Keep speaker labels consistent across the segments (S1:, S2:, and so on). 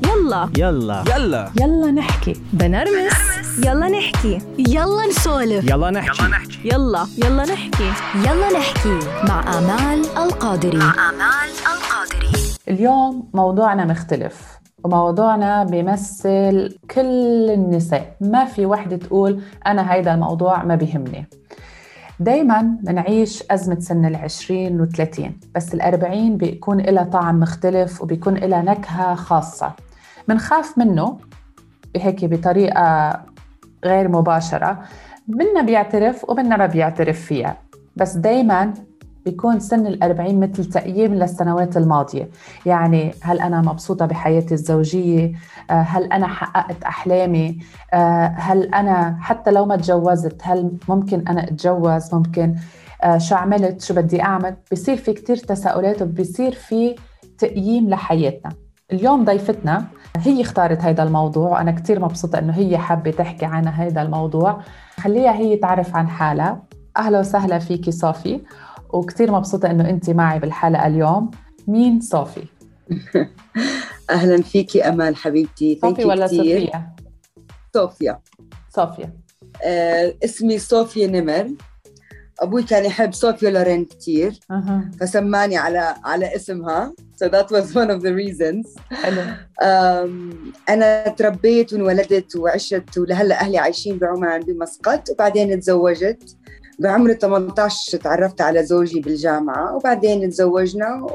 S1: يلا
S2: يلا
S3: يلا
S4: يلا نحكي.
S1: بنرمس. يلا نحكي.
S5: يلا نسولف.
S2: يلا نحكي.
S1: يلا نحكي.
S5: يلا نحكي مع آمال القادري.
S4: اليوم موضوعنا مختلف، وموضوعنا بيمثل كل النساء. ما في وحدة تقول أنا هيدا الموضوع ما بيهمني. دايماً منعيش أزمة سن 20 و30، بس 40 بيكون إلها طعم مختلف وبيكون إلها نكهة خاصة. منخاف منه هيك بطريقة غير مباشرة، منا بيعترف ومنا ما بيعترف فيها، بس دايماً بيكون سن 40 مثل تقييم للسنوات الماضية. يعني هل أنا مبسوطة بحياتي الزوجية؟ هل أنا حققت أحلامي؟ هل أنا حتى لو ما تجوزت هل ممكن أنا أتجوز؟ ممكن شو عملت؟ شو بدي أعمل؟ بيصير في كتير تساؤلات وبيصير في تقييم لحياتنا. اليوم ضيفتنا هي اختارت هيدا الموضوع، وأنا كتير مبسوطة إنه هي حابة تحكي عن هيدا الموضوع. خليها هي تعرف عن حالها. أهلا وسهلا فيكي صوفي، وكتير مبسوطة إنه أنت معي بالحلقة اليوم. مين صوفي؟
S6: أهلاً فيكي أمال حبيبتي.
S4: صوفي ولا
S6: كتير.
S4: صوفيا؟
S6: صوفيا. اسمي صوفيا نمر. أبوي كان يحب صوفيا لورين كتير، فسماني على اسمها. So that was one of the reasons.
S4: حلو.
S6: أنا تربيت وانولدت وعشت، ولهلأ أهلي عايشين بعمان بمسقط، وبعدين تزوجت بعمر 18. تعرفت على زوجي بالجامعة، وبعدين تزوجنا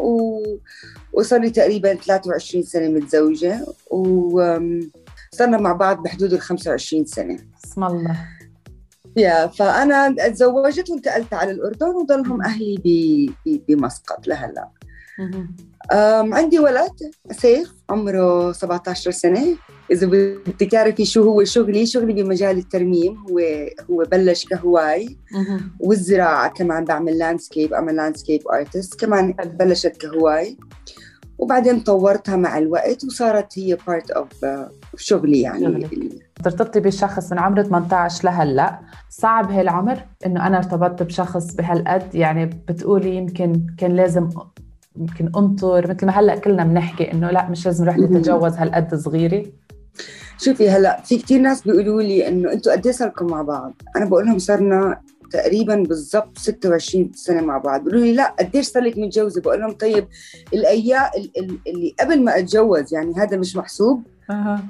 S6: وصار لي تقريباً 23 سنة متزوجة، وصرنا مع بعض بحدود 25 سنة.
S4: بسم الله.
S6: فأنا تزوجت وانتقلت على الأردن، وضلهم أهلي بمسقط لهلأ. عندي ولد سيف عمره 17 سنة. إذا بدك تعرفي شو هو شغلي بمجال الترميم. هو بلش كهواي والزراعة كمان. بعمل لاندسكيب، أعمل لاندسكيب آرتست كمان. بلشت كهواي وبعدين طورتها مع الوقت، وصارت هي part of شغلي يعني.
S4: ترتبطي بشخص من عمر 18 لهلأ، صعب هالعمر إنه أنا ارتبطت بشخص بهالقد؟ يعني بتقولي يمكن كان لازم أنطر، مثل ما هلأ كلنا بنحكي إنه لا مش لازم رح نتجوز هالقد صغيرة.
S6: شوفي هلأ في كتير ناس بيقولوا لي إنه أنتوا قد إيه صاركم مع بعض؟ أنا بقول لهم صرنا تقريباً بالضبط 26 سنة مع بعض. بيقولوا لي لا قديش صار لك متجوزة؟ بقول لهم طيب الأيام اللي قبل ما أتجوز يعني هذا مش محسوب.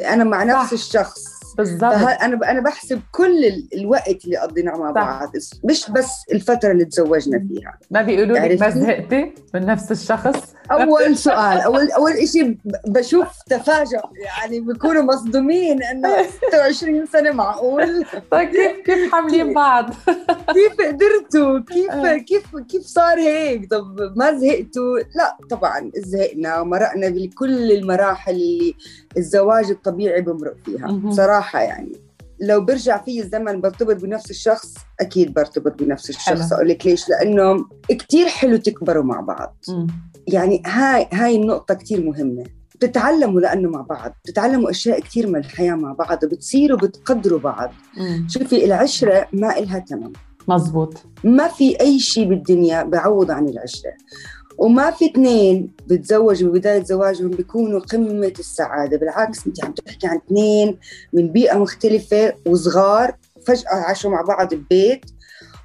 S6: أنا مع نفس الشخص
S4: بالضبط.
S6: أنا بحسب كل الوقت اللي قضيناه مع بعض، مش بس الفترة اللي تزوجنا فيها.
S4: ما بيقولوا لك ما زهقتي من نفس الشخص؟
S6: أول سؤال، أول إشي بشوف تفاجؤ، يعني بيكونوا مصدومين إنه 26 سنة معقول؟
S4: طيب كيف حاملين بعض؟
S6: كيف قدرتوا؟ كيف صار هيك؟ طب ما زهقتوا؟ لا طبعا زهقنا ومرقنا بكل المراحل اللي الزواج الطبيعي بمرق فيها. صراحة يعني لو برجع فيه الزمن برتبط بنفس الشخص، أكيد برتبط بنفس الشخص. أقول لك ليش؟ لأنه كتير حلو تكبروا مع بعض. يعني هاي النقطة كتير مهمة. بتتعلموا لأنه مع بعض، بتتعلموا أشياء كتير من الحياة مع بعض، وبتصيروا بتقدروا بعض. شوفي العشرة ما إلها تمام.
S4: مزبوط.
S6: ما في أي شيء بالدنيا بعوض عن العشرة، وما في اثنين بتزوجوا ببداية زواجهم بيكونوا قمة السعادة. بالعكس انت عم تحكي عن اثنين من بيئة مختلفة وصغار فجأة عاشوا مع بعض ببيت.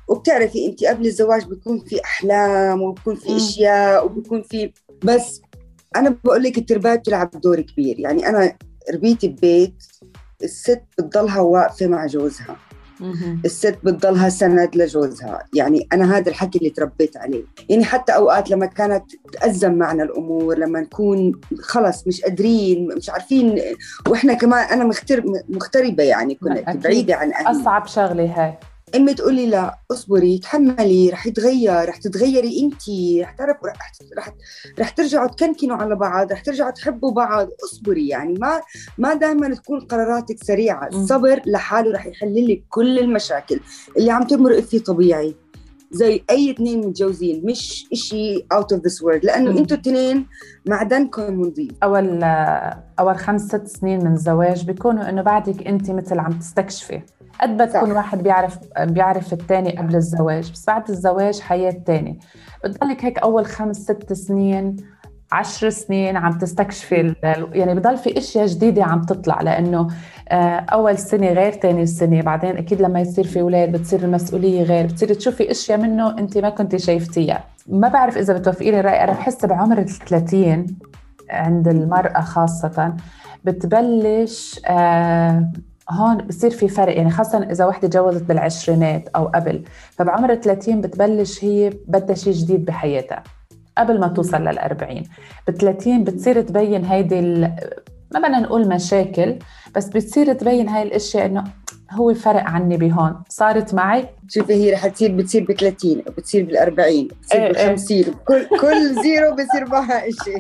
S6: وبتعرفي انت قبل الزواج بيكون في أحلام وبيكون في أشياء وبيكون في، بس أنا بقول لك التربية بتلعب دور كبير. يعني أنا ربيت ببيت الست بتضلها واقفة مع جوزها، الست بتضلها سند لجوزها. يعني أنا هذا الحكي اللي تربيت عليه. يعني حتى أوقات لما كانت تأزم معنا الأمور، لما نكون خلص مش قادرين مش عارفين، وإحنا كمان أنا مغتربة، يعني كنت بعيدة عن أهلي.
S4: أصعب شغلة هاي.
S6: أمي تقولي لا اصبري تحملي، رح يتغير، رح تتغيري انتي، رح تعرف رح ترجعوا تكنكنوا على بعض، رح ترجعوا تحبوا بعض. اصبري. يعني ما دائما تكون قراراتك سريعة. الصبر لحاله رح يحل لك كل المشاكل اللي عم تمرق فيه طبيعي زي أي اثنين متجوزين، مش إشي out of this world، لأنه أنتوا اثنين معدنكم نظيف.
S4: أول 5-6 سنين من الزواج بيكونوا إنه بعدك أنت مثل عم تستكشفي. قد بتكون واحد بيعرف التاني قبل الزواج، بس بعد الزواج حياة تاني. بتضلك هيك أول 5-6 سنين 10 سنين عم تستكشفي يعني بضل في اشياء جديدة عم تطلع، لانه اول سنة غير تاني سنة، بعدين اكيد لما يصير في اولاد بتصير المسؤولية غير، بتصير تشوفي اشياء منه انت ما كنتي شايفتيها. ما بعرف اذا بتوافقيني الرأي، انا بحس بعمر 30 عند المرأة خاصة بتبلش هون بصير في فرق، يعني خاصة إذا وحدة جوزت بالعشرينات أو قبل، فبعمر 30 بتبلش هي بدها شيء جديد بحياتها قبل ما توصل لل40. ب30 بتصير تبين هيدي ما بدنا نقول مشاكل، بس بتصير تبين هاي الاشياء انه هو فرق عني بهون، صارت معي.
S6: شوفي هي رح بتصير ب30 وبتصير بال40 بتصير بال50 كل زيرو بصير معها إشي.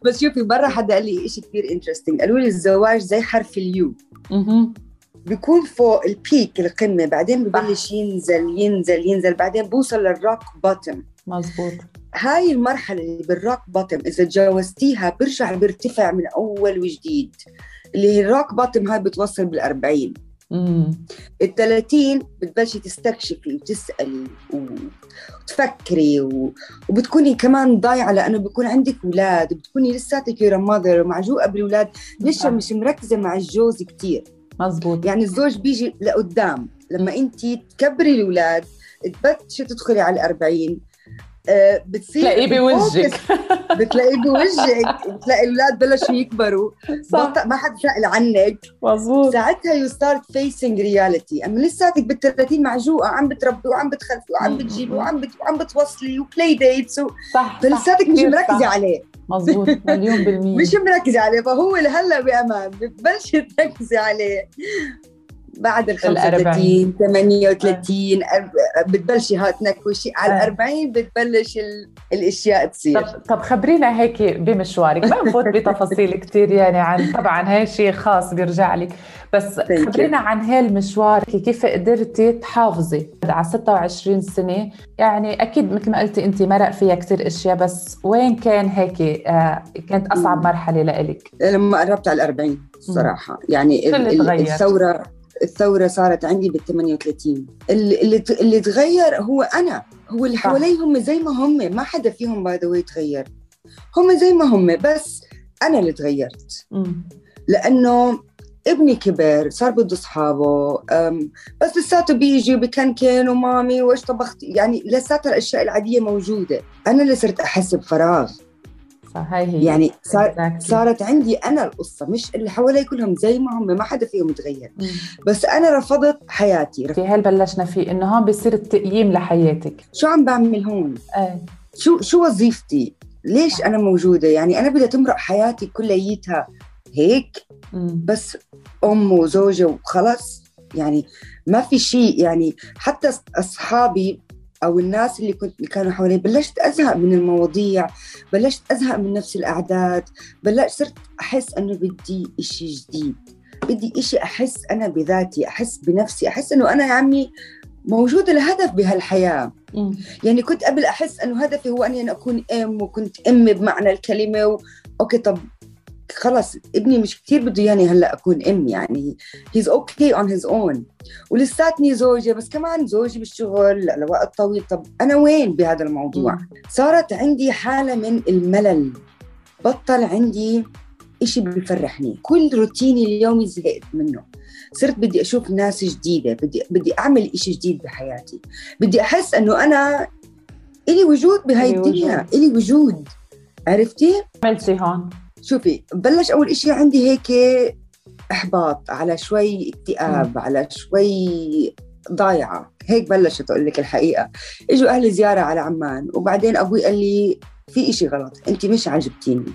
S6: بس شوفي مرة حدا قال لي إشي كتير انترستينج، قالوا لي الزواج زي حرف اليو، بيكون فوق البيك القمة، بعدين ببلش ينزل بعدين بوصل للروك بوتم.
S4: مزبوط.
S6: هاي المرحلة اللي بالروك بوتم إذا تجاوزتيها برجع بيرتفع من أول وجديد، اللي هي الروك بوتم هاي بتوصل بال40. 30 بتبلشي تستكشفي وتسألي وتفكري وبتكوني كمان ضايعة، لأنه بيكون عندك أولاد وبتكوني لساتك you're a mother ومعجوقة بالأولاد، لسه مش مركزة مع الجوز كتير.
S4: مزبوط.
S6: يعني الزوج بيجي لقدام لما أنتي تكبري الأولاد تبتشي تدخلي على 40 بتصير
S4: بتلاقيه بوجهك
S6: بتلاقي الأولاد بلشوا يكبروا، ما حد سأل عنك.
S4: مظبوط.
S6: ساعتها you start facing reality. أما لساتك بال30 معجوقة، عم بتربي وعم بتخلفي وعم بتجيبي وعم بتوصلي وبلاي ديتس فلساتك مش مركزة عليه.
S4: مظبوط. مليون بالمية
S6: مش مركزة عليه، فهو لهلا بأمان بتبلش تركزي عليه بعد 35 38 بتبلشي تنكوشي على 40 بتبلش الاشياء تصير.
S4: طب خبرينا هيك بمشوارك، ما نفوت بتفاصيل كتير يعني عن طبعا هاي شيء خاص بيرجع لك، بس خبرينا عن هالمشوار كيف قدرتي تحافظي على 26 سنة. يعني أكيد مثل ما قلتي أنت مرق فيها كتير أشياء، بس وين كان هيك كانت أصعب مرحلة لإلك؟
S6: لما قربت على 40 الصراحة. يعني الثورة صارت عندي بال38. اللي تغير هو أنا، هو اللي حوالي هم زي ما هم، ما حدا فيهم باي ذا واي تغير، هم زي ما هم، بس أنا اللي تغيرت. لأنه ابني كبر صار بده أصحابه، بس لساته بيجي وبكنكن ومامي وإيش طبخت، يعني لساته الأشياء العادية موجودة. أنا اللي صرت أحس بفراغ.
S4: هي
S6: يعني صارت عندي أنا القصة، مش اللي حوالي كلهم زي ما هم، ما حدا فيهم يتغير. بس أنا رفضت حياتي.
S4: في هل بلشنا فيه إنه هون بيصير التقييم لحياتك،
S6: شو عم بعمل هون؟ شو وظيفتي؟ ليش أنا موجودة؟ يعني أنا بدي تمرق حياتي كليتها هيك بس أم وزوجة وخلاص، يعني ما في شيء. يعني حتى أصحابي أو الناس اللي كانوا حوالي بلشت أزهق من المواضيع، بلشت أزهق من نفس الأعداد، صرت أحس أنه بدي إشي جديد، بدي إشي أحس أنا بذاتي، أحس بنفسي، أحس أنه أنا يا عمي موجودة لهدف بهالحياة. يعني كنت قبل أحس أنه هدفي هو أني أكون أم، وكنت أم بمعنى الكلمة أوكي طب خلص ابني مش كتير بده يعني هلأ أكون أم، يعني he's okay on his own، ولساتني زوجة بس كمان زوجي بالشغل لوقت طويل. طب أنا وين بهذا الموضوع؟ صارت عندي حالة من الملل، بطل عندي إشي بيفرحني، كل روتيني اليومي زهقت منه، صرت بدي أشوف ناس جديدة، بدي أعمل إشي جديد بحياتي، بدي أحس أنه أنا إلي وجود بهاي الدنيا، إلي وجود. عرفتي؟
S4: عملتي هون؟
S6: شوفي بلش أول إشي عندي هيك إحباط، على شوي اكتئاب، على شوي ضايعة، هيك بلشت أقول لك الحقيقة. إجوا أهل زيارة على عمان، وبعدين أبوي قال لي في إشي غلط، أنت مش عجبتيني،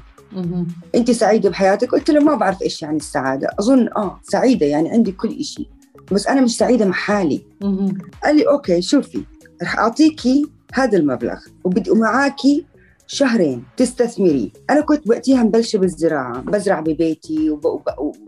S6: أنت سعيدة بحياتك؟ قلت له ما بعرف إيش يعني السعادة، أظن سعيدة يعني عندي كل إشي، بس أنا مش سعيدة مع حالي. قال لي أوكي شوفي رح أعطيكي هذا المبلغ وبدي معاكي شهرين تستثمري. أنا كنت وقتها مبلشة بالزراعة، بزرع ببيتي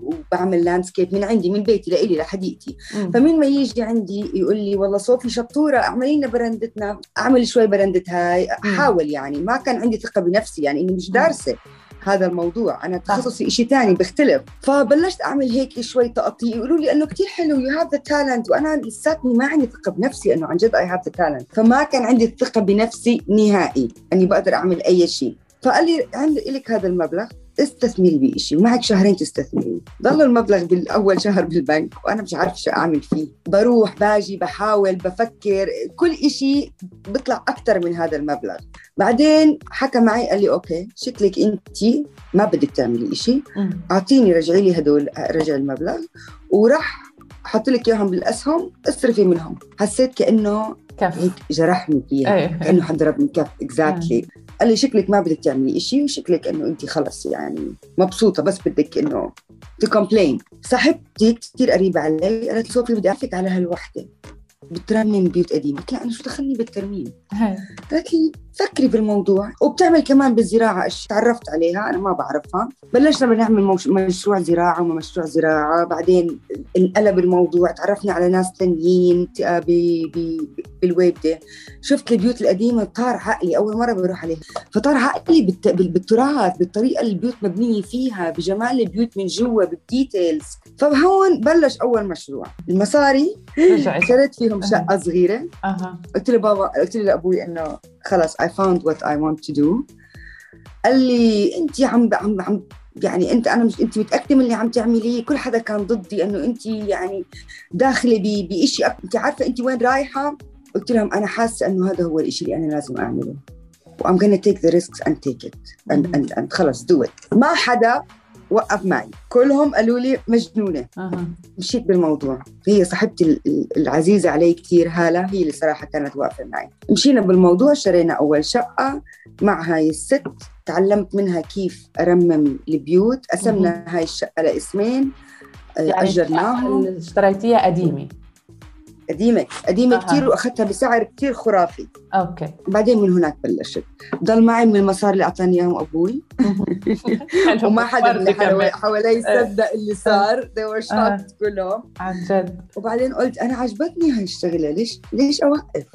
S6: وبعمل لاندسكيب من عندي، من بيتي لإلي لحديقتي. فمين ما يجي عندي يقول لي والله صوفي شطورة اعملي لنا برندتنا، أعمل شوي برندة هاي، أحاول. يعني ما كان عندي ثقة بنفسي، يعني إني مش دارسة هذا الموضوع، أنا تخصصي إشي تاني بيختلف. فبلشت أعمل هيك شوي تقطيع، يقولوا لي أنه كتير حلو you have the talent، وأنا لساتني ما عندي ثقة بنفسي أنه عن جد I have the talent. فما كان عندي الثقة بنفسي نهائي أني بقدر أعمل أي شيء. فقال لي عندي لك هذا المبلغ استثمري بإشي ومعك شهرين تستثمري. ضل المبلغ بالأول شهر بالبنك وأنا مش عارف شو أعمل فيه، بروح باجي بحاول بفكر كل إشي بيطلع أكتر من هذا المبلغ. بعدين حكى معي قال لي أوكي شكلك أنتي ما بدك تعملي إشي، أعطيني رجعي لي هدول، رجع المبلغ وراح أحط لك إياهم بالأسهم اصرفي منهم. حسيت كأنه
S4: كف
S6: جرحني فيها كأنه حد ضربني كف. exactly. قال لي شكلك ما بدك تعملي إشي وشكلك إنه أنت خلص يعني مبسوطة بس بدك إنه تكمبلين. صاحبتي كتير قريبة علي قالت صوفي بدي أعرفك على هالوحدة بترمم بيوت قديمة. قلت لها أنا شو دخلني بالترميم؟ قالت لي فكري بالموضوع وبتعمل كمان بالزراعة. تعرفت عليها أنا ما بعرفها. بلشنا بنعمل مشروع زراعة ومشروع زراعة. بعدين انقلب الموضوع، تعرفنا على ناس تانيين بالويبدة. شفت البيوت القديمة طار عقلي، أول مرة بروح عليها فطار عقلي بالتراث، بالطريقة اللي البيوت مبنية فيها، بجمال البيوت من جوا، بالديتيلز. فهون بلش أول مشروع. المصاري شريت فيهم شقة صغيرة. قلت له بابا، قلت له لأبوي إنه خلاص I found what I want to do. قال لي أنت عم يعني أنا مش، أنت متأكدة من اللي عم تعمليه؟ كل حدا كان ضدي إنه أنت يعني داخلة بإشي أنت عارفة أنت وين رايحة. قلت لهم أنا حاسة إنه هذا هو الإشي اللي أنا لازم أعمله و I'm gonna take the risks and take it and خلاص do it. ما حدا وقف معي، كلهم قالوا لي مجنونة. مشيت بالموضوع. هي صاحبتي العزيزة علي كتير هالة، هي اللي صراحة كانت واقفة معي. مشينا بالموضوع، شرينا أول شقة مع هاي الست، تعلمت منها كيف أرمم البيوت. قسمنا هاي الشقة لاسمين،
S4: يعني
S6: أجرناهم.
S4: اشتريتيها قديمة
S6: كتير وأخذتها بسعر كتير خرافي.
S4: أوكي.
S6: بعدين من هناك بلشت ضل معي من المصاري اللي أعطاني إياهم أبوي. وما حدا من حوالي يصدق اللي صار. they were shocked كلهم
S4: عن جد.
S6: وبعدين قلت أنا عجبتني هاي الشغلة، ليش أوقف؟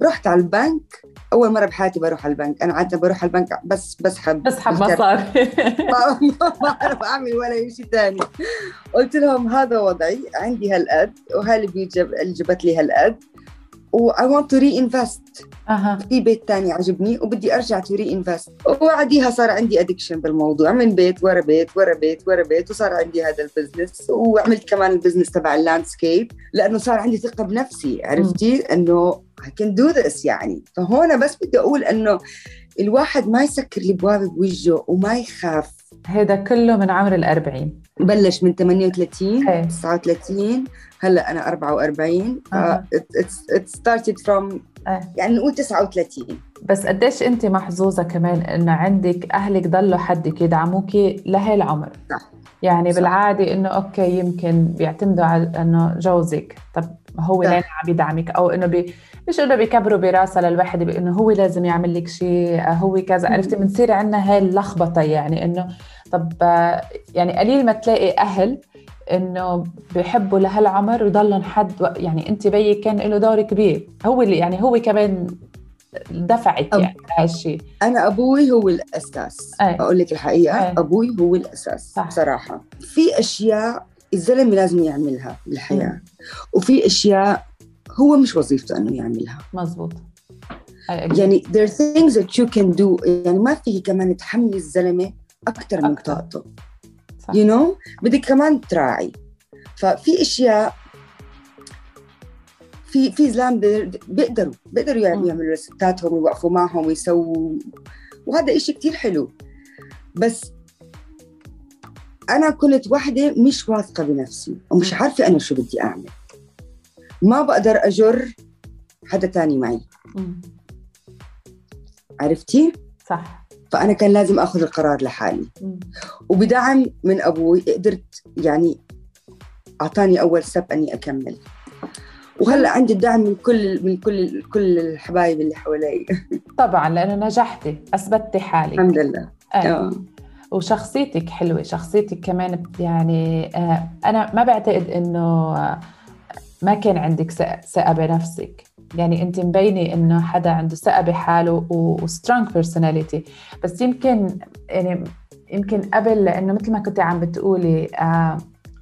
S6: رحت على البنك. أول مرة بحياتي بروح على البنك. أنا عادة بروح على البنك بس بسحب
S4: مصاري.
S6: ما أعرف أعمل ولا شيء تاني. قلت لهم هذا وضعي، عندي هالقد وهاي اللي جبت لي هالقد و I want to reinvest. في بيت تاني عجبني وبدي أرجع to reinvest. وبعديها صار عندي addiction بالموضوع، من بيت ورا بيت ورا بيت ورا بيت، وصار عندي هذا البزنس. وعملت كمان البزنس تبع اللاندسكيب لأنه صار عندي ثقة بنفسي. عرفتي أنه I can do this يعني. فهون بس بدي أقول أنه الواحد ما يسكر الأبواب بوجهه وما يخاف.
S4: هذا كله من عمر 40.
S6: بلش من 38 39 هلأ أنا 44. it started from يعني نقول 39.
S4: بس قديش أنت محظوظة كمان إنه عندك أهلك ضلوا حدك يدعموكي لهالعمر.
S6: صح.
S4: يعني صح. بالعادة إنه أوكي يمكن بيعتمدوا على إنه جوزك، طب هو لين عم يدعمك، أو إنه مش إنه بيكبروا براسه للواحد بإنه هو لازم يعمل لك شيء، هو كذا. عرفتي بنصير عنا هاي اللخبطة، يعني إنه طب يعني قليل ما تلاقي أهل إنه بيحبوا لهالعمر ويضلن حد. يعني أنت بيك كان له دور كبير، هو اللي يعني هو كمان دفعك يعني هالشيء.
S6: أنا أبوي هو الأساس. أقول لك الحقيقة. أبوي هو الأساس. صح. بصراحة في أشياء الزلمة لازم يعملها بالحياة وفي أشياء هو مش وظيفته أنه يعملها.
S4: مزبوط.
S6: يعني there are things that you can do. يعني ما فيه كمان تحمل الزلمة أكتر من طاقته. you know بدك كمان تراعي. ففي أشياء في زلام بيقدروا يعملوا ستاتهم ويوقفوا معهم ويسووا، وهذا إشي كتير حلو. بس أنا كنت واحدة مش واثقة بنفسي ومش عارفة أنا شو بدي أعمل. ما بقدر أجر حدا تاني معي. عرفتي؟
S4: صح.
S6: فأنا كان لازم أخذ القرار لحالي. وبدعم من أبوي قدرت يعني أعطاني أول سب أني أكمل. وهلأ عندي الدعم من كل الحبايب اللي حوالي.
S4: طبعا لأنه نجحتي، أثبتي حالك
S6: الحمد لله.
S4: وشخصيتك حلوة، شخصيتك كمان يعني أنا ما بعتقد إنه ما كان عندك ثقة بنفسك. يعني أنت مبينة إنه حدا عنده ثقة بحاله وسترونج بيرسوناليتي. بس يمكن قبل، لأنه مثل ما كنت عم بتقولي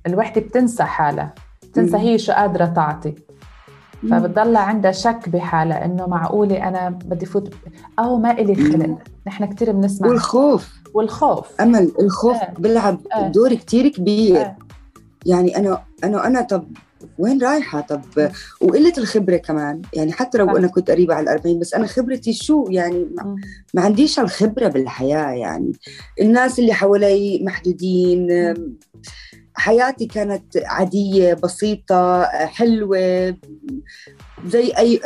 S4: الوحدة بتنسى حالها، بتنسى هي شو قادرة تعطي. فبتضل عندها شك بحالها إنه معقولة أنا بدي فوت أو ما إلي خلق. نحن كتير بنسمع والخوف
S6: أمل الخوف بيلعب دور كتير كبير. يعني أنا طب وين رايحة؟ طب وقلة الخبرة كمان، يعني حتى لو أنا كنت قريبة على 40 بس أنا خبرتي شو يعني ما عنديش الخبرة بالحياة. يعني الناس اللي حوالي محدودين، حياتي كانت عادية بسيطة حلوة زي أي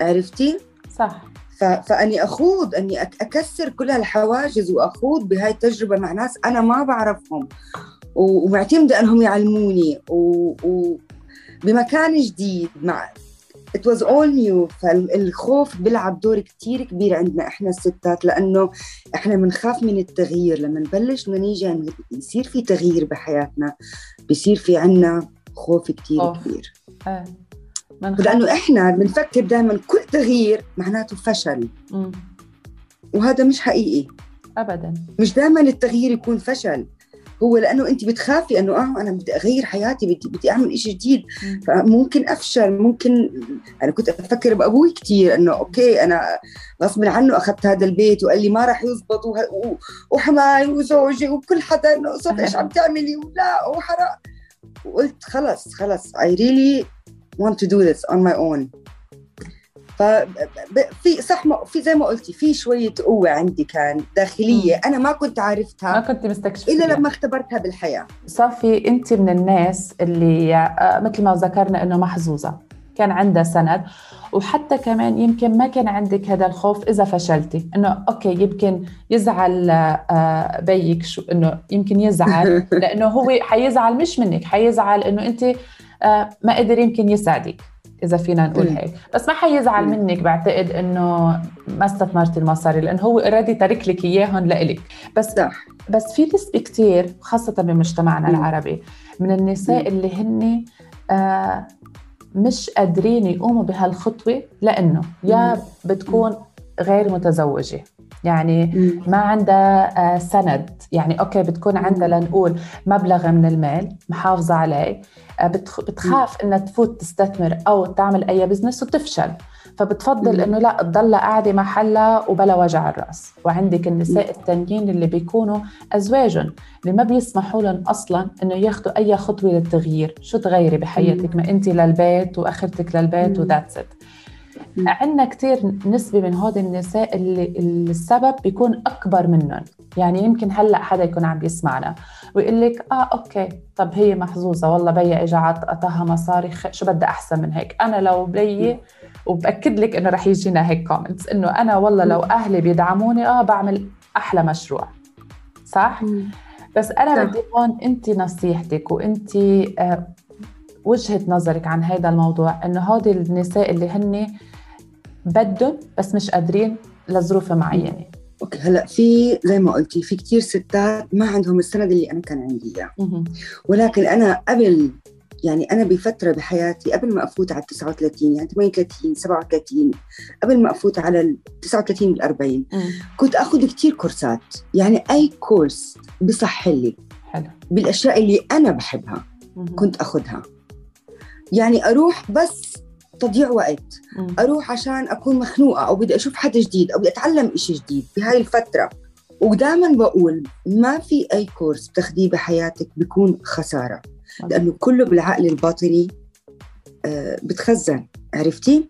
S6: عرفتي؟
S4: صح.
S6: فأني أخوض أني أكسر كل هالحواجز وأخوض بهاي التجربة مع ناس أنا ما بعرفهم ومعتمدة أنهم يعلموني بمكان جديد مع it was all new. فالخوف بيلعب دور كتير كبير عندنا إحنا الستات، لأنه إحنا منخاف من التغيير. لما نبلش نيجي يصير في تغيير بحياتنا بيصير في عنا خوف كتير كبير. لأنه إحنا بنفكر دائما كل تغيير معناته فشل. وهذا مش حقيقي
S4: أبدا. مش
S6: دائما التغيير يكون فشل، هو لأنه أنت بتخافي أنه أنا بدي أغير حياتي، بدي أعمل إشي جديد، فممكن أفشل. ممكن أنا كنت أفكر بأبوي كتير أنه أوكي أنا غصب عنه أخذت هذا البيت وقال لي ما رح يزبط وحماي وزوجي وكل حدا إنه قصد إيش عم تعملي ولا وحرق. وقلت خلص I really want to do this on my own. ففي صح في زي ما قلتي في شوية قوة عندي كان داخلية أنا ما كنت عارفتها،
S4: ما كنت مستكشفة
S6: إلا لما اختبرتها بالحياة.
S4: صافي أنت من الناس اللي مثل ما ذكرنا إنه محظوظة كان عندها سند، وحتى كمان يمكن ما كان عندك هذا الخوف إذا فشلتي إنه أوكي يمكن يزعل بيك شو إنه يمكن يزعل لأنه هو حيزعل مش منك، حيزعل إنه أنت ما قدر يمكن يساعدك إذا فينا نقول هيك، بس ما حيزعل منك. بعتقد إنه ما استثمرتي المصاري لأنه هو أرادي ترك لك إياهن لإلك. بس في نسبة كتير خاصة بمجتمعنا العربي من النساء اللي هن مش قادرين يقوموا بهالخطوة لأنه يا بتكون غير متزوجة، يعني ما عندها سند، يعني أوكي بتكون عندها لنقول مبلغ من المال محافظة عليه، بتخاف إنها تفوت تستثمر أو تعمل أي بزنس وتفشل، فبتفضل إنه لا تضل قاعدة محلها وبلا وجع الرأس. وعندك النساء التانيين اللي بيكونوا أزواجهم اللي ما بيسمحوا لهم أصلاً إنه ياخدوا أي خطوة للتغيير. شو تغيري بحياتك؟ ما أنت للبيت وأخرتك للبيت وذاتس إت. عندنا كتير نسبة من هذه النساء اللي السبب بيكون أكبر منهم. يعني يمكن هلأ حدا يكون عم بيسمعنا ويقول لك أوكي طب هي محظوظة والله بيا إجا عطاها مصاري، شو بدي أحسن من هيك؟ أنا لو بيي وبأكد لك إنه رح يجينا هيك كومنتس إنه أنا والله لو أهلي بيدعموني بعمل أحلى مشروع، صح؟ بس أنا بدي هون أنت نصيحتك وأنت وجهة نظرك عن هذا الموضوع، إنه هذه النساء اللي هن بدهم بس مش قادرين لظروف معينة.
S6: أوكي هلأ في زي ما قلتي في كتير ستات ما عندهم السند اللي أنا كان عندي إياه، ولكن أنا قبل يعني أنا بفترة بحياتي قبل ما أفوت على 39 يعني 38 37 قبل ما أفوت على 39 بالأربعين كنت أخذ كتير كورسات، يعني أي كورس بصح لي بالأشياء اللي أنا بحبها كنت أخذها. يعني أروح بس تضيع وقت، أروح عشان أكون مخنوقة أو بدي أشوف حدا جديد أو بدي أتعلم إشي جديد بهاي الفترة. ودائما بقول ما في أي كورس بتاخديه بحياتك بيكون خسارة، لأنه كله بالعقل الباطني بتخزن، عرفتي؟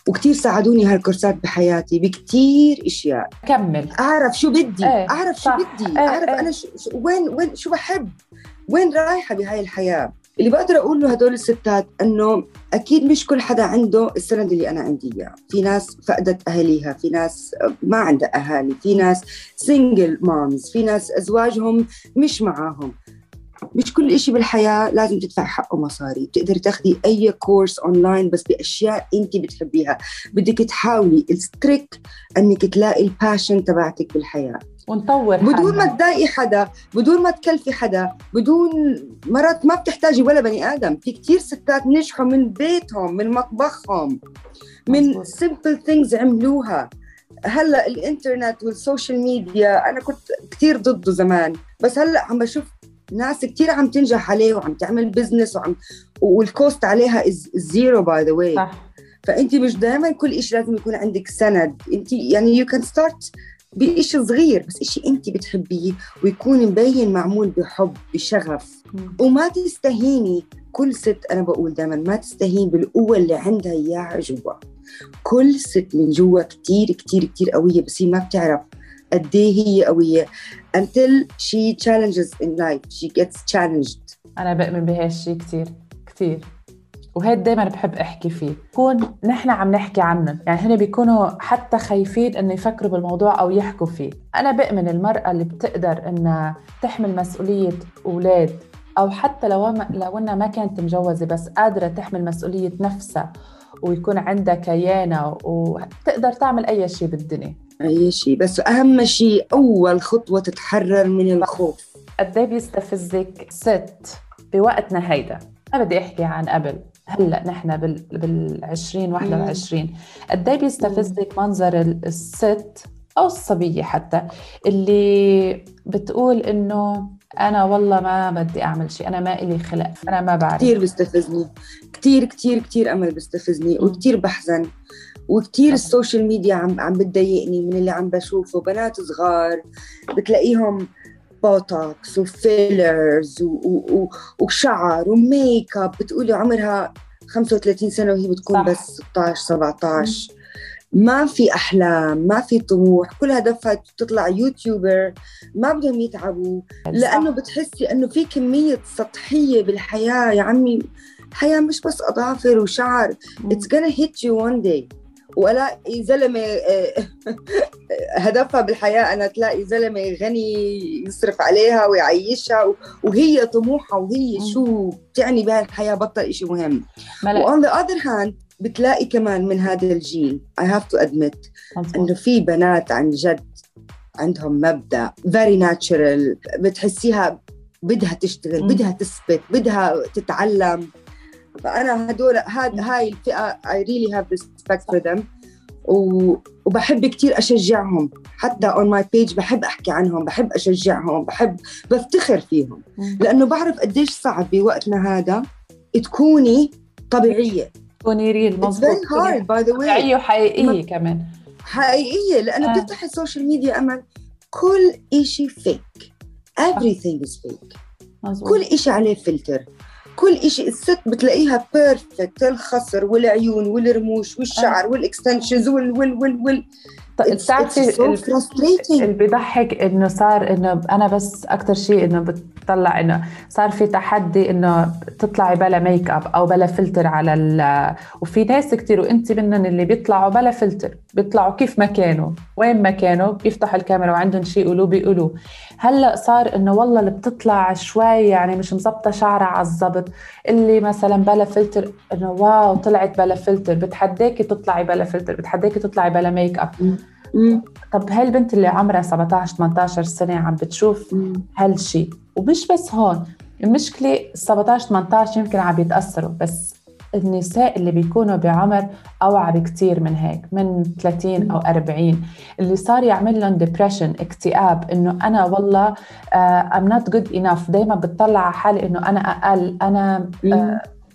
S6: وكتير ساعدوني هالكورسات بحياتي بكتير إشياء.
S4: كمل
S6: أعرف شو بدي، أعرف شو بدي، أعرف أنا وين شو بحب، وين رايحة بهاي الحياة. اللي بقدر أقول له هدول الستات أنه أكيد مش كل حدا عنده السند اللي أنا عندي إياه. في ناس فقدت أهليها، في ناس ما عندها أهالي، في ناس سينجل مامز، في ناس أزواجهم مش معاهم. مش كل إشي بالحياة لازم تدفع حقه مصاري. بتقدر تاخدي أي كورس أونلاين بس بأشياء أنت بتحبيها. بدك تحاولي التريك أنك تلاقي الباشن تبعتك بالحياة
S4: ونطور
S6: بدون ما تضايقي حدا، بدون ما تكلفي حدا، بدون مرات ما بتحتاجي ولا بني آدم. في كتير ستات نجحوا من بيتهم، من مطبخهم، من simple things عملوها. هلأ الإنترنت والسوشيال ميديا أنا كنت كتير ضده زمان، بس هلأ عم بشوف ناس كتير عم تنجح عليه وعم تعمل بزنس والكوست عليها زيرو باي ذا واي.
S4: صح.
S6: فأنت مش دائما كل إشي لازم يكون عندك سند. أنت يعني you can start بإشي صغير، بس إشي أنت بتحبيه ويكون مبين معمول بحب بشغف. وما تستهيني. كل ست، أنا بقول دائما ما تستهين بالقوة اللي عندها إياها جوا. كل ست من جوا كتير كتير كتير قوية، بس هي ما بتعرف قديه هي قوية until she challenges in life, she gets challenged.
S4: أنا بؤمن بهالشي كتير كتير، وهيد دايما بحب أحكي فيه. كون نحن عم نحكي عنهم، يعني هنا بيكونوا حتى خايفين إنه يفكروا بالموضوع أو يحكوا فيه. أنا بؤمن المرأة اللي بتقدر إنها تحمل مسؤولية أولاد، أو حتى لو إنها ما كانت مجوزة بس قادرة تحمل مسؤولية نفسها ويكون عندها كيانة وتقدر تعمل أي شيء بالدنيا.
S6: أي شيء، بس أهم شيء أول خطوة تتحرر من الخوف.
S4: قديه بيستفزك ست بوقتنا هيدا؟ أنا بدي أحكي عن قبل، هلأ نحن بال2021 قديه بيستفزك منظر الست أو الصبية حتى اللي بتقول إنه أنا والله ما بدي أعمل شيء، أنا ما إلي خلق، أنا ما بعرف.
S6: كتير بيستفزني، كتير كتير كتير أمل بيستفزني، وكتير بحزن، وكتير السوشيال ميديا عم بتضايقني من اللي عم بشوفه. بنات صغار بتلاقيهم بوتوكس وفيلرز وشعر وميك اب، بتقولي عمرها 35 سنة وهي بتكون صح. بس 16-17. ما في أحلام، ما في طموح، كل هدفها تطلع يوتيوبر. ما بدهم يتعبوا، لأنه بتحسي أنه في كمية سطحية بالحياة. يا عمي الحياة مش بس أظافر وشعر. It's gonna hit you one day. وألاقي زلمة هدفها بالحياة أنا تلاقي زلمة غني يصرف عليها ويعيشها، وهي طموحها وهي شو بتعني بها الحياة، بطل إشي مهم. وon the other hand بتلاقي كمان من هذا الجيل I have to admit إنه في بنات عن جد عندهم مبدأ very natural، بتحسيها بدها تشتغل، بدها تثبت، بدها تتعلم. فأنا هدول هاي الفئة I really have respect for them، وبحب كتير أشجعهم. حتى on my page بحب أحكي عنهم، بحب أشجعهم، بفتخر فيهم، لأنه بعرف قديش صعب بوقتنا هذا تكوني طبيعية،
S4: تكوني ريل. مظبوط، طبيعية وحقيقية كمان،
S6: حقيقية. لأنه بتفتح السوشيال ميديا أمل كل إشي fake، everything is fake. كل إشي عليه فلتر، كل إشي. الست بتلاقيها بيرفكت، الخصر والعيون والرموش والشعر والإكستنشنز
S4: بتعرفي اللي بيضحك إنه صار إنه أنا بس أكتر شيء إنه بتطلع إنه صار في تحدي إنه تطلعي بلا ميك أب أو بلا فلتر على وفي ناس كتير وإنتي منهم اللي بيطلعوا بلا فلتر، بيطلعوا كيف ما كانوا، وين ما كانوا، بيفتحوا الكاميرا وعندهم شيء يقولوا بيقولوا. هلأ صار إنه والله اللي بتطلع شوي يعني مش مزبطة شعرها على الضبط، اللي مثلا بلا فلتر إنه واو طلعت بلا فلتر، بتحداكي تطلعي بلا فلتر، بتحداكي تطلعي بلا ميك أب. طب هالبنت اللي عمرها 17-18 سنة عم بتشوف هالشي، ومش بس هون المشكلة 17-18 يمكن عم بيتأثروا، بس النساء اللي بيكونوا بعمر أوعى بكتير من هيك، من 30 أو 40، اللي صار يعمل لهم depression، اكتئاب، إنه أنا والله I'm not good enough. دايما بتطلع على حالي إنه أنا أقل، أنا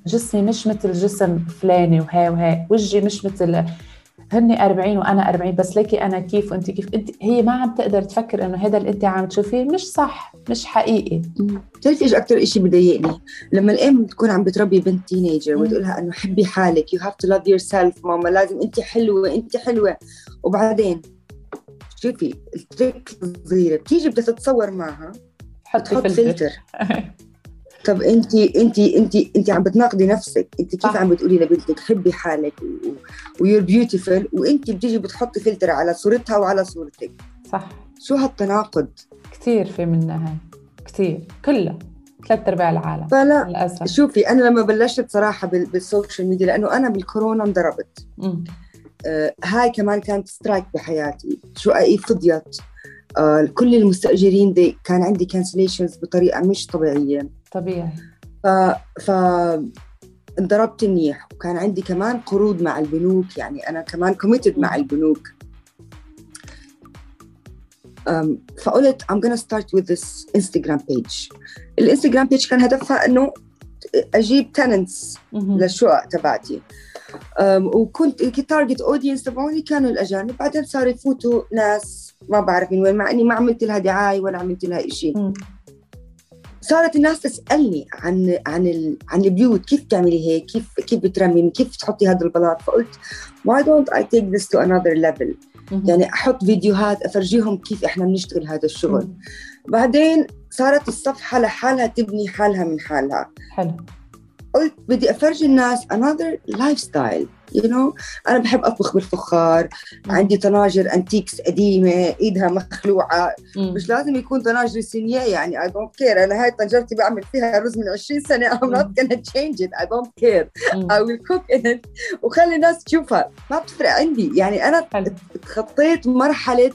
S4: جسمي مش مثل جسم فلاني، وهي وجهي مش مثل هني 40 وأنا 40، بس ليكي أنا كيف وأنت كيف. هي ما عم تقدر تفكر إنه هذا اللي أنت عم تشوفيه مش صح، مش حقيقي.
S6: تعرفي إيش أكتر إشي بضايقني؟ لما الأم تكون عم بتربي بنت تينيجر وتقولها إنه حبي حالك، you have to love yourself ماما، لازم أنت حلوة، أنت حلوة. وبعدين شوفي التريك الصغيرة، بتيجي بدها تتصور معها تحط فلتر. طب انت عم بتناقضي نفسك. انت كيف عم بتقولي لبنتك حبي حالك ويور بيوتيفul، وانت بتيجي بتحطي فلتر على صورتها وعلى صورتك؟
S4: صح.
S6: شو هالتناقض؟ كتير
S4: في منها هاي، كتير، كلها 3/4 العالم.
S6: فلا للأسف. شوفي أنا لما بلشت صراحة بالسوشيال ميديا، لأنه أنا بالكورونا انضربت. هاي كمان كانت سترايك بحياتي، شققي فضيت، كل المستأجرين دي كان عندي كانسليشنز بطريقة مش طبيعية.
S4: طبيعي.
S6: انضربت منيح، وكان عندي كمان قروض مع البنوك، يعني أنا كمان committed مع البنوك. فقلت I'm gonna start with this Instagram page. الانستغرام page كان هدفها إنه أجيب تننتس للشقق تبعتي. وكنت تارجت أودينس تبعوني كانوا الأجانب. بعدين صاروا يفوتوا ناس ما بعرف من وين، مع إني ما عملت لها دعاية ولا عملت لها إشي. صارت الناس تسألني عن البيوت، كيف تعملي هيك، كيف بترمي، كيف تحطي هذا البلاط. فقلت why don't I take this to another level. يعني أحط فيديوهات أفرجيهم كيف إحنا بنشتغل هذا الشغل. بعدين صارت الصفحة لحالها تبني حالها من حالها.
S4: حلو.
S6: قلت بدي أفرجي الناس another lifestyle. أنا بحب أطبخ بالفخار. عندي طناجر أنتيكس قديمة إيدها مخلوعة. مش لازم يكون طناجر صينية، يعني I don't care. أنا هاي طنجرتي بعمل فيها رز من 20 سنة. I'm not gonna change it. I don't care. I will cook in it وخلي الناس تشوفها، ما بتفرق عندي. يعني أنا تخطيت مرحلة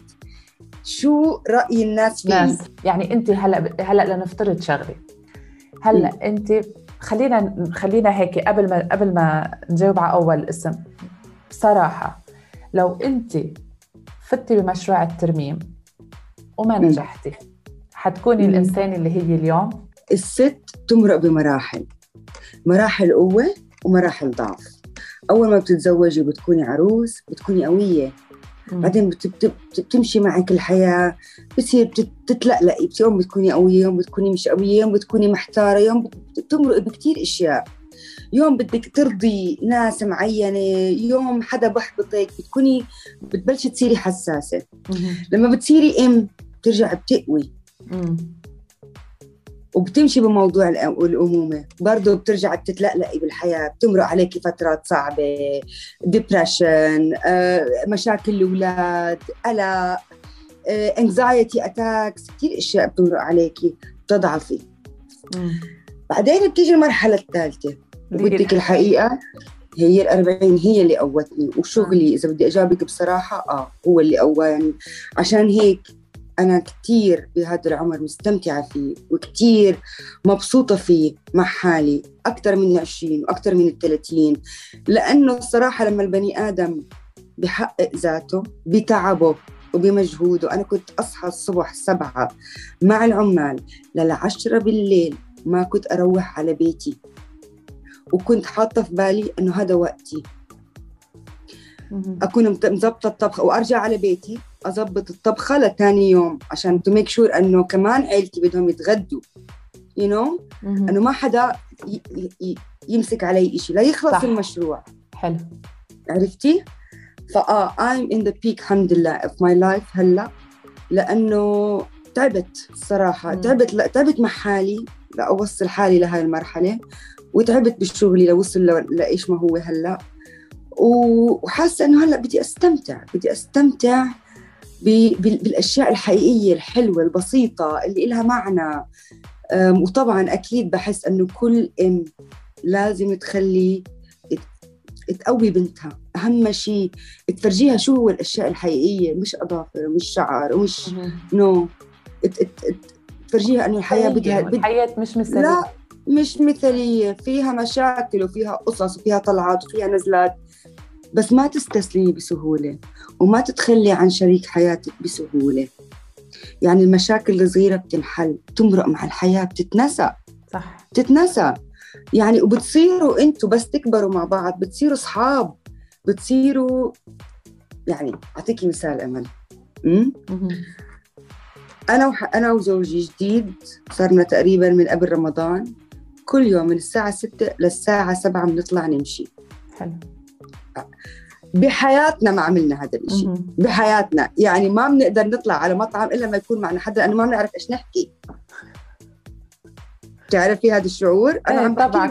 S6: شو رأي الناس فيه.
S4: يعني أنت هلأ لنفترض شغلة. هلأ أنت خلينا هيك قبل ما نجاوب على أول اسم. بصراحة لو أنت فتي بمشروع الترميم وما نجحتي، حتكوني الإنسان اللي هي اليوم؟
S6: الست تمرق مراحل قوة ومراحل ضعف. أول ما بتتزوجي بتكوني عروس، بتكوني قوية. بعدين بتمشي معك الحياة، بتصير تتلقلقي. يوم بتكوني قوية، يوم بتكوني مش قوية، يوم بتكوني محتارة، يوم بتمرق بكتير إشياء. يوم بدك ترضي ناس معينة، يوم حدا بحبطك، بتبلشي تصيري حساسة. لما بتصيري بترجع بتقوي وبتمشي بموضوع الأمومة. برضو بترجع بتتلقلقي بالحياة، بتمرق عليكي فترات صعبة، ديبريشن، مشاكل الأولاد، قلق، anxiety attacks، كتير إشياء بتمرق عليكي، بتضعفي. بعدين بتيجي المرحلة الثالثة وبدك الحقيقة هي 40 هي اللي قوتني. وشغلي إذا بدي أجابك بصراحة هو اللي قوى. يعني عشان هيك أنا كتير بهذا العمر مستمتعة فيه وكتير مبسوطة فيه مع حالي، أكتر من 20 وأكتر من 30. لأنه الصراحة لما البني آدم بيحقق ذاته بتعبه وبمجهوده. أنا كنت أصحى الصبح 7 مع العمال ل10 بالليل، ما كنت أروح على بيتي، وكنت حاطة في بالي أنه هذا وقتي. أكون مزبطة الطبخ وأرجع على بيتي أزبط الطبخة لتاني يوم عشان to make sure أنه كمان عيلتي بدهم يتغدوا. أنه ما حدا يمسك علي إشي لا يخلص صح. المشروع.
S4: حلو.
S6: عرفتي؟ I'm in the peak الحمد لله of my life هلأ. لأنه تعبت الصراحة. تعبت مع حالي لأوصل حالي لهاي المرحلة، وتعبت بشغلي لوصل لإيش ما هو هلأ. وحاسة أنه هلأ بدي أستمتع بالأشياء الحقيقية الحلوة البسيطة اللي إلها معنى. وطبعاً أكيد بحس أنه كل لازم تقوي بنتها. أهم شيء تفرجيها شو هو الأشياء الحقيقية، مش أظافر ومش شعر ومش تفرجيها أنه الحياة
S4: الحياة مش مثالية.
S6: لا مش مثالية، فيها مشاكل وفيها قصص وفيها طلعات وفيها نزلات، بس ما تستسلمي بسهولة وما تتخلي عن شريك حياتك بسهولة. يعني المشاكل الصغيرة بتنحل، تمرق مع الحياة، بتتنسى. صح. بتتنسى يعني. وبتصيروا انتوا بس تكبروا مع بعض بتصيروا صحاب، بتصيروا يعني. أعطيكي مثال أمل. أنا وزوجي جديد صارنا تقريبا من قبل رمضان كل يوم من الساعة 6 للساعة 7 بنطلع نمشي. حلو. بحياتنا ما عملنا هذا الشيء. بحياتنا يعني ما بنقدر نطلع على مطعم إلا ما يكون معنا حدا، لأنه ما بنعرف إيش نحكي. تعرفي هذا الشعور؟ أنا عم
S4: طبعا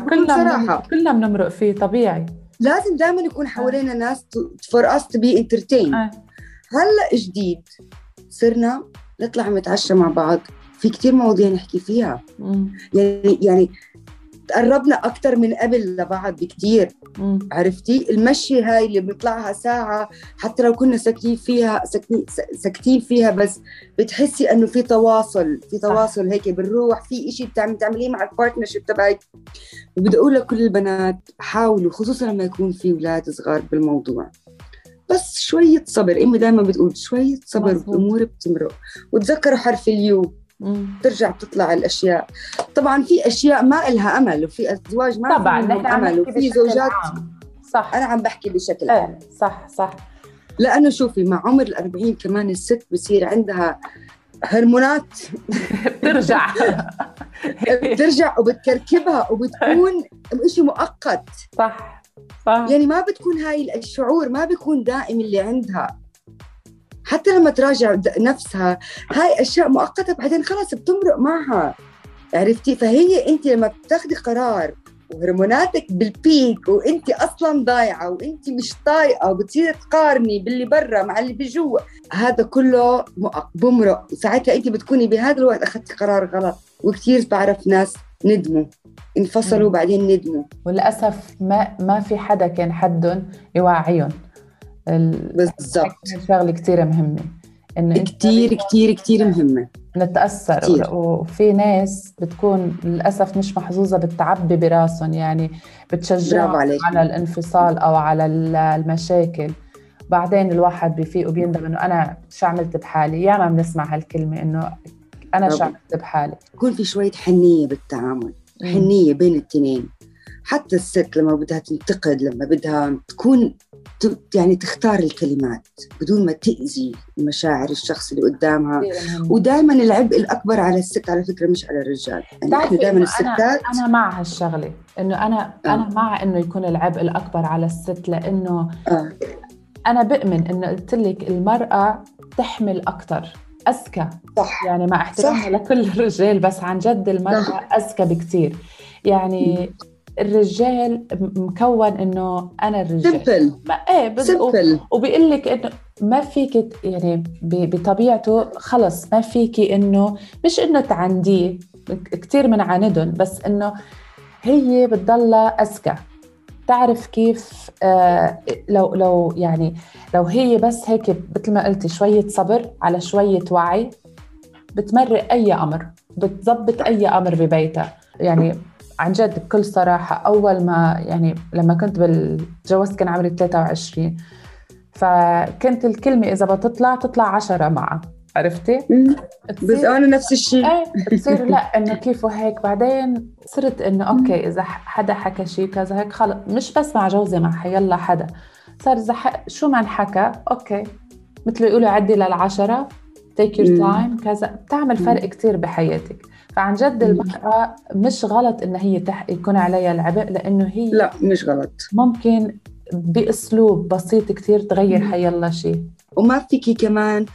S4: كلنا بنمرق فيه طبيعي.
S6: لازم دائما يكون حوالينا ناس for us to be entertained. هلأ جديد صرنا نطلع نتعشى مع بعض، في كتير مواضيع نحكي فيها. يعني تقربنا أكتر من قبل لبعض بكتير. عرفتي؟ المشي هاي اللي بنطلعها ساعة حتى لو كنا ساكتين فيها بس بتحسي أنه في تواصل هيك بنروح في إشي بتعمليه مع البارتنرشيب تبعك. وبدي أقول لكل البنات حاولوا، خصوصا لما يكون في أولاد صغار بالموضوع، بس شوية صبر. أمي دائما بتقول شوية صبر والأمور بتمرق. وتذكروا حرف اليو، ترجع تطلع الأشياء. طبعا في أشياء ما إلها أمل، وفي أزواج ما
S4: طبعا
S6: لهم أمل، وفي زوجات
S4: صح.
S6: أنا عم بحكي بشكل عام.
S4: صح.
S6: لأنه شوفي مع عمر 40 كمان الست بصير عندها هرمونات بترجع وبتكركبها وبتكون إشي مؤقت.
S4: صح.
S6: يعني ما بتكون هاي الشعور ما بيكون دائم اللي عندها، حتى لما تراجع نفسها هاي أشياء مؤقتة بعدين خلاص بتمرق معها، عرفتي؟ فهي أنت لما بتاخدي قرار وهرموناتك بالبيك وأنت أصلاً ضايعة وأنت مش طايقة وبتصير تقارني باللي برا مع اللي بجوا، هذا كله بمرق، وساعتها أنت بتكوني بهذا الوقت أخذتي قرار غلط. وكتير بعرف ناس ندموا، انفصلوا بعدين ندموا،
S4: وللأسف ما في حدا كان حدهم يوعيهم.
S6: بالضبط.
S4: شغلة كتير مهمة، إنه
S6: كتير مهمة
S4: نتأثر
S6: كتير.
S4: وفي ناس بتكون للأسف مش محظوظة بالتعبي براسهم، يعني بتشجعوا على الانفصال أو على المشاكل، بعدين الواحد بيفيق وبيندم إنه أنا شو عملت بحالي. ياما بنسمع هالكلمة إنه أنا شو عملت بحالي.
S6: يكون في شوية حنية بالتعامل، حنية بين التنين. حتى الست لما بدها تنتقد، لما بدها تكون يعني تختار الكلمات بدون ما تأذي مشاعر الشخص اللي قدامها. ودائما العبء الأكبر على الست على فكرة، مش على الرجال. يعني احنا دائما الستات،
S4: أنا مع هالشغلة، إنه أنا مع إنه يكون العبء الأكبر على الست، لأنه أنا بؤمن إنه قلت لك المرأة تحمل أكتر، أذكى.
S6: صح.
S4: يعني مع احترامي لكل الرجال، بس عن جد المرأة أذكى بكتير. يعني الرجال مكون إنه أنا الرجال
S6: سمبل،
S4: وبيقول لك إنه ما فيك، يعني بطبيعته خلص ما فيك إنه مش إنه تعنديه، كتير من عاندهم، بس إنه هي بتضلها أذكى، تعرف كيف. لو يعني لو هي بس هيك مثل ما قلتي شوية صبر على شوية وعي، بتمرق أي أمر، بتضبط أي أمر ببيتها. يعني عن جد بكل صراحة، أول ما يعني لما كنت بالجواز كان عمري 23، فكنت الكلمة إذا تطلع 10 معها، عرفتي؟
S6: بس أنا نفس الشيء.
S4: تصير لا إنه كيف وهيك. بعدين صرت إنه أوكي إذا حدا حكى شيء كذا هيك خلص، مش بس مع جوزي، مع حيالله حدا صار إذا شو ما انحكى أوكي، مثل يقولوا عدي لل10 take your time كذا، بتعمل فرق كتير بحياتك. فعن جد المرأة مش غلط إن هي يكون عليها العبء، لأنه هي
S6: لا مش غلط،
S4: ممكن بأسلوب بسيط كتير تغير حيالله شيء.
S6: وما فيكي كمان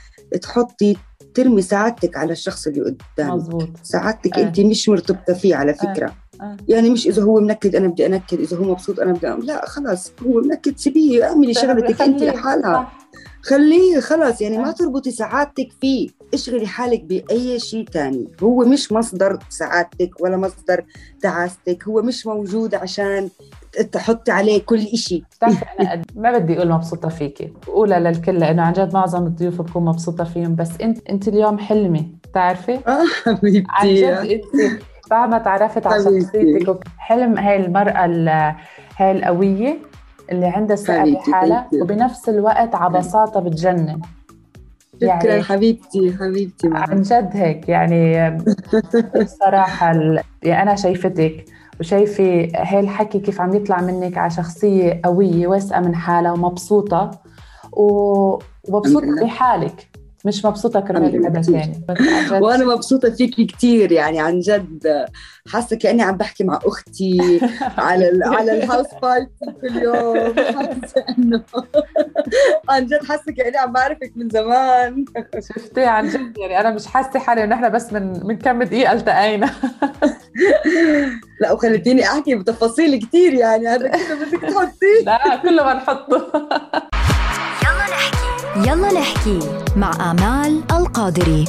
S6: ترمي سعادتك على الشخص اللي قدامك.
S4: مزبوط.
S6: سعادتك أنت مش مرتبطة فيه على فكرة. يعني مش إذا هو منكد أنا بدي أنكد، إذا هو مبسوط أنا بدي لا خلاص، هو منكد سيبيه، اعملي شغلتك أنت لحالها، خليه خلاص. يعني ما تربطي سعادتك فيه، اشغلي حالك بأي شيء تاني. هو مش مصدر سعادتك ولا مصدر تعاستك، هو مش موجود عشان تحطي عليه كل إشي.
S4: أنا ما بدي أقول مبسوطة فيكي، أقولها للكل، لأنه عن جد معظم الضيوف بكون مبسوطة فيهم، بس أنت اليوم حلمي، تعرفي؟
S6: حبيبتي
S4: عن جد أنت بعد ما تعرفت على شخصيتك. حلم هاي المرأة هاي القوية اللي عندها ثقة بحالها، وبنفس الوقت عبساطة بتجنن.
S6: شكرا
S4: يعني
S6: حبيبتي
S4: عن جد هيك. يعني بصراحة يعني أنا شايفتك وشايفة هاي الحكي كيف عم يطلع منك على شخصية قوية واثقة من حالها ومبسوطة ومبسوطة بحالك، مش مبسوطة كرمال حدا ثاني.
S6: وأنا مبسوطة فيكي كتير، يعني عن جد حاسة كأني عم بحكي مع أختي على الهاوس بارتي كل يوم. حاسة إنه عن جد حاسة كأني عم بعرفك من زمان.
S4: شفتي عن جد، يعني أنا مش حاسة حالي إن إحنا بس من كم دقيقة التقينا.
S6: لا وخلتيني أحكي بتفاصيل كتير، يعني هذا كله بدك تحطيه.
S4: لا كله ما نحطه.
S5: يلا نحكي مع آمال القادري.